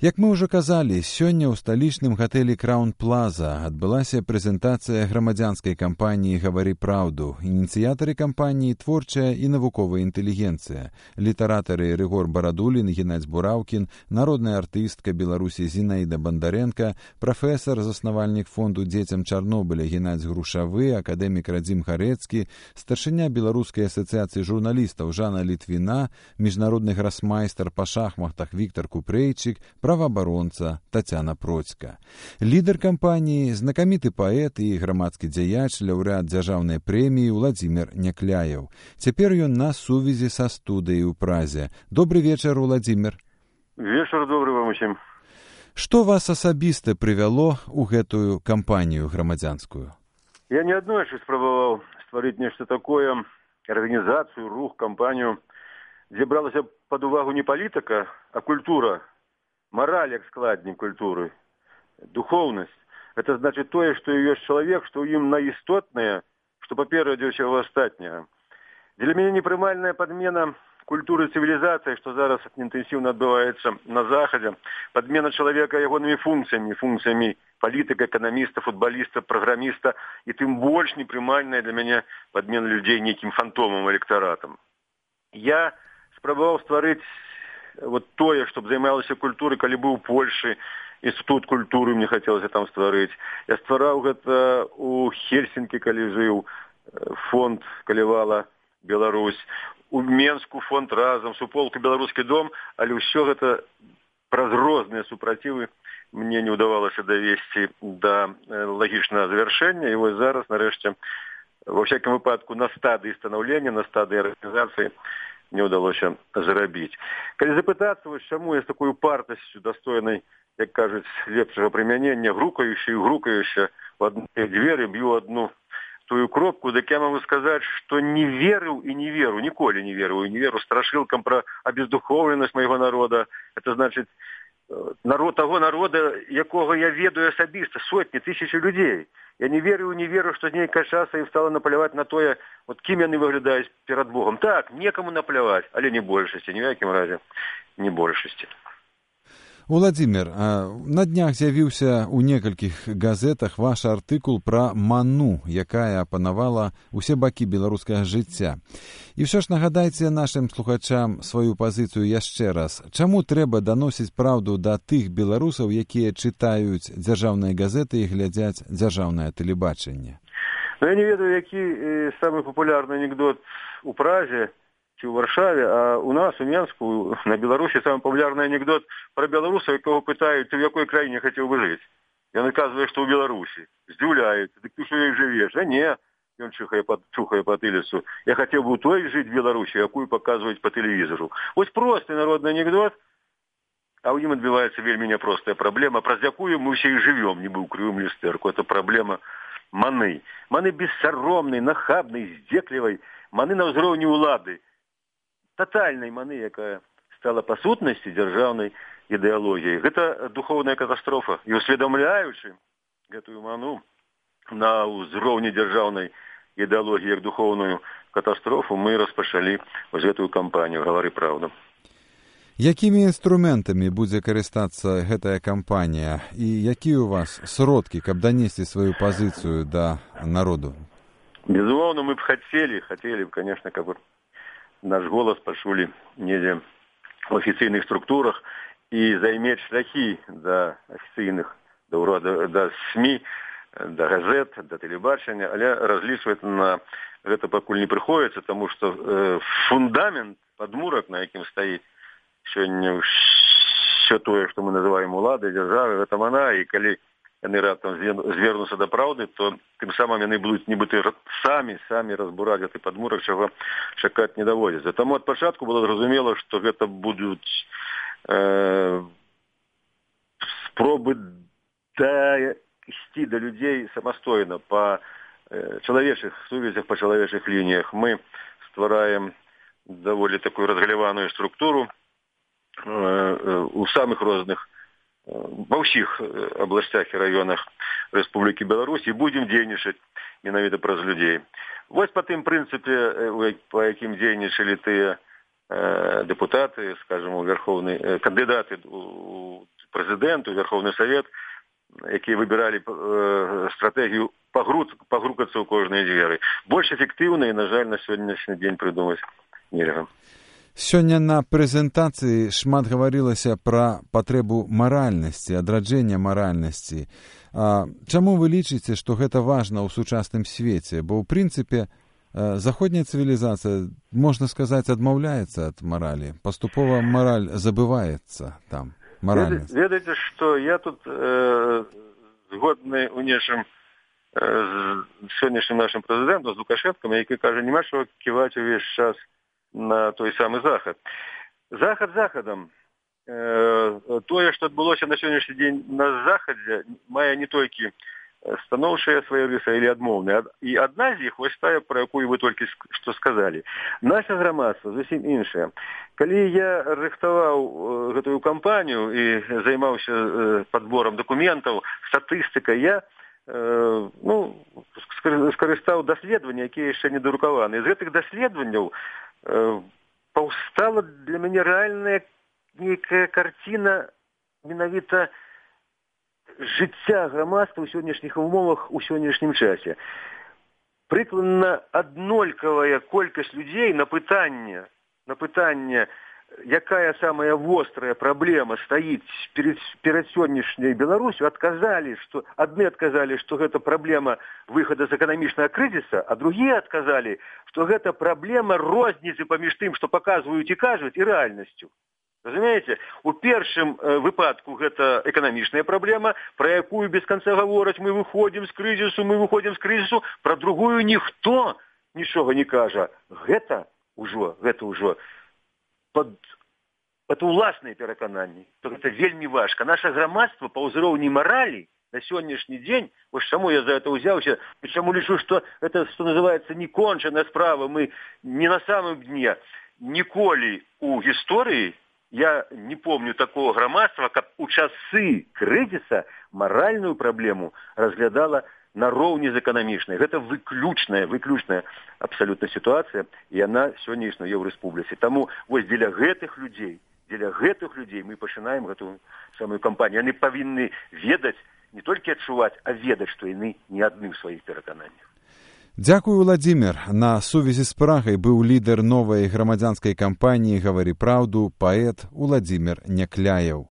Як мы ўжо казалі, сёння ў сталічным гатэлі Краун Плаза адбылася прэзентацыя грамадзянскай кампаніі «Гавары праўду». Ініцыятары кампаніі творчая і навуковая інтэлігенцыя. Літаратары Рыгор Барадулін, Геннадзь Бураўкін, народная артыстка Беларусі Зінаіда Бандарэнка, прафесар, заснавальнік фонду дзецям Чарнобыля Геннадзь Грушавы, акадэмік Радзім Харэцкі, старшыня Беларускай асацыяцыі журналістаў Жанна Літвіна, міжнародны грасмайстар па шахматах Віктар Купрэйчык, праваабаронца Тацяна Процька. Лідар кампаніі, знакаміты паэт і грамадскі дзяяч, лаўрэат дзяржаўнай прэміі Уладзімір Някляеў. Цяпер ён на сувязі са студыяй у Празе. Добры вечар, Уладзімір. Вечар добры вам усім. Што вас асабіста прывяло ў гэтую кампанію грамадзянскую? Я неаднойчы спрабаваў стварыць нешта такое, арганізацыю, рух, кампанію, дзе бралася пад увагу не палітыка, а культура, мораль як складнік культуры, духоўнасць. Это значит тое, што ёсць чалавек, што ў ім наістотнае, што паперадзе ўсяго астатняга. Для мяне непрымальная падмена культуры цывілізацыі, што зараз інтэнсіўна адбываецца на Захадзе, падмена чалавека ягонымі функцыямі палітыка, эканаміста, футбаліста, праграміста, і тым больш непрымальная для мяне падмена людзей нейкім фантомам, электаратам. Я спрабаваў стварыць вот тое, што займалася культурай, калі быў у Польшы, інстытут культуры мне хацелася там стварыць. Я ствараў гэта у Хельсінкі, калі жыў, фонд Калевала Беларусь, у Менску фонд разам, суполку Беларускі дом, але ўсё гэта праз розныя супрацівы мне не ўдавалася давесці да лагічнага завяршэння. І вось зараз, нарэшце, ва всякім выпадку, на стадыі станаўлення, на стадыі арганізацыі не ўдалося зарабіць. Калі запытацца, вось чаму я з такой упартасцю дастойнай, як кажуць, лепшага прымянення, грукаючы в одну дзверы, б'ю одну тую кропку, дык я магу сказаць, што не верыў і не веру, ніколі не верыў і не веру страшылкам пра абездухоўленасць майго народа. Это значыць, народ таго народа, якога я ведаю асабіста, сотні, тысячы людзей. Я не верю, што нейкая часа ім стала напляваць на тое, вот кім яны выглядаюць перад Богом. Так, некаму напляваць, але не большасці, ні ў якім разе не большасці. Уладзімір, на днях з'явіўся ў некалькіх газетах ваш артыкул пра ману, якая апанавала ўсе бакі беларускага жыцця. І ўсё ж нагадайце нашым слухачам сваю пазіцыю яшчэ раз. Чаму трэба даносіць праўду да тых беларусаў, якія чытаюць дзяржаўныя газеты і глядзяць дзяржаўнае тэлебачанне? Я не ведаю, які самы папулярны анекдот у Празе ці ў Варшаве, а у нас, у Менску, на Беларусі самы папулярны анекдот пра беларуса, якого пытаюць, ты в якой краіне хацеў бы жыць. Ён аказвае, што ў Беларусі. Здзіўляюць. Дык ты што ёй жывеш? А не, ён чухае па тыліцу. Я хацеў бы у той жыць Беларусі, якую паказваюць па тэлевізору. Вось просты народны анекдот, а ў ім адбіваецца вельмі няпростая праблема, праз якую мы ўсе і жывём, нібы ў крывым люстэрку. Это праблема маны. Маны бессаромнай, нахабнай, здзеклівай, маны на ўзроўні ўлады. Татальнай маны, якая стала па сутнасці дзяржаўнай ідэалогіяй. Гэта духоўная катастрофа. І усведамляючы гэтую ману на ўзроўні дзяржаўнай ідэалогіі як духоўную катастрофу, мы распачалі вось гэтую кампанію «Гавары праўду». Якімі інструментамі будзе карыстацца гэтая кампанія і якія у вас сродкі, каб данесці сваю пазіцыю да народу? Безумоўна, мы б хацелі, конечно, каб наш голас пачулі недзе в афіцыйных структурах і займець шляхі да афіцыйных, да СМІ, да газет, да тэлебачання, але разлічваць на гэта пакуль не прыходзіцца, таму што фундамент, падмурак, на якім стаіць сёння ўсё тое, што мы называем уладай, дзяржавай, гэта мана, і калі яны раптам звернуцца да праўды, то тым самым яны будуць нібыта самі разбураць гэты падмурак, чаго чакаць не даводзіцца. Таму ад пачатку было зразумела, што гэта будуць спробы ісці да людзей самастойна па чалавечых сувязях, па чалавечых лініях. Мы ствараем даволі такую разгаляваную структуру у самых розных ва ўсіх абласцях і раёнах Рэспублікі Беларусь і будзем дзейнічаць менавіта праз людзей. Вось па тым прынцыпе, па якім дзейнічалі тыя дэпутаты, скажам, кандыдаты у прэзідэнту, Верховны Савет, якія выбіралі стратэгію пагрукацца ў кожныя дзверы. Больш эфектыўна і, на жаль, на сённяшні дзень прыдумаць нельга. Сёння на прэзентацыі шмат гаварылася пра патрэбу маральнасці, адраджэння маральнасці. Чаму вы лічыце, што гэта важна ў сучасным свеце? Бо, ў прынцыпе, заходняя цывілізацыя, можна сказаць, адмаўляецца ад маралі. Паступова мараль забываецца там. Ведаеце, што я тут згодны ў нечым з сённяшнім нашым прэзідэнтам, з Лукашэнкам, які кажа, няма чаго ківаць увесь час на той самы захад. Захад захадам. Тое, што адбылося на сённяшні дзень на захадзе, мае не толькі станоўчыя свае рысы или адмоўныя. І адна з іх, вось тая, пра якую вы толькі што сказалі. Наша грамадства зусім іншае. Калі я рыхтаваў гэтую кампанію і займаўся падборам дакументаў, статыстыкай, я скарыстаў даследаванні, якія яшчэ не дарукаваны. З гэтых даследаванняў паўстала для мяне рэальная нейкая карціна менавіта жыцця грамадства ў сённяшніх умовах у сённяшнім часе. Прыкладна аднолькавая колькасць людзей на пытанне, якая самая вострая праблема стаіць перад сённяшняй Беларусю, адны адказалі, што гэта праблема выхада з эканамічнага крызіса, а другія адказалі, што гэта праблема розніцы паміж тым, што паказваюць і кажуць, і рэальнасцю. Разумееце? У першым выпадку гэта эканамічная праблема, пра якую без канца гавораць, мы выходзім з крызісу, пра другую ніхто нічога не кажа. Гэта ўжо это ўласныя перакананні. Гэта вельмі важка. Наша грамадства па ўзроўні маралі на сённяшні дзень, вось чаму я за это ўзяўся, і чаму лічу, што это, што называецца, некончаная справа, мы не на самым дне. Ніколі у гісторыі я не помню такого грамадства, каб у часы крызіса маральную праблему разглядала нароўні з эканамічнай. Гэта выключная абсалютна сітуацыя, і яна сёння існуе ў рэспубліцы. Таму вось дзеля гэтых людзей мы пачынаем гэтую самую кампанію. Яны павінны ведаць, не толькі адчуваць, а ведаць, што яны не адны ў сваіх перакананнях. Дзякую, Уладзімір. На сувязі з Прагай быў лідар новай грамадзянскай кампаніі «Гаварі праўду», паэт Уладзімір Някляеў.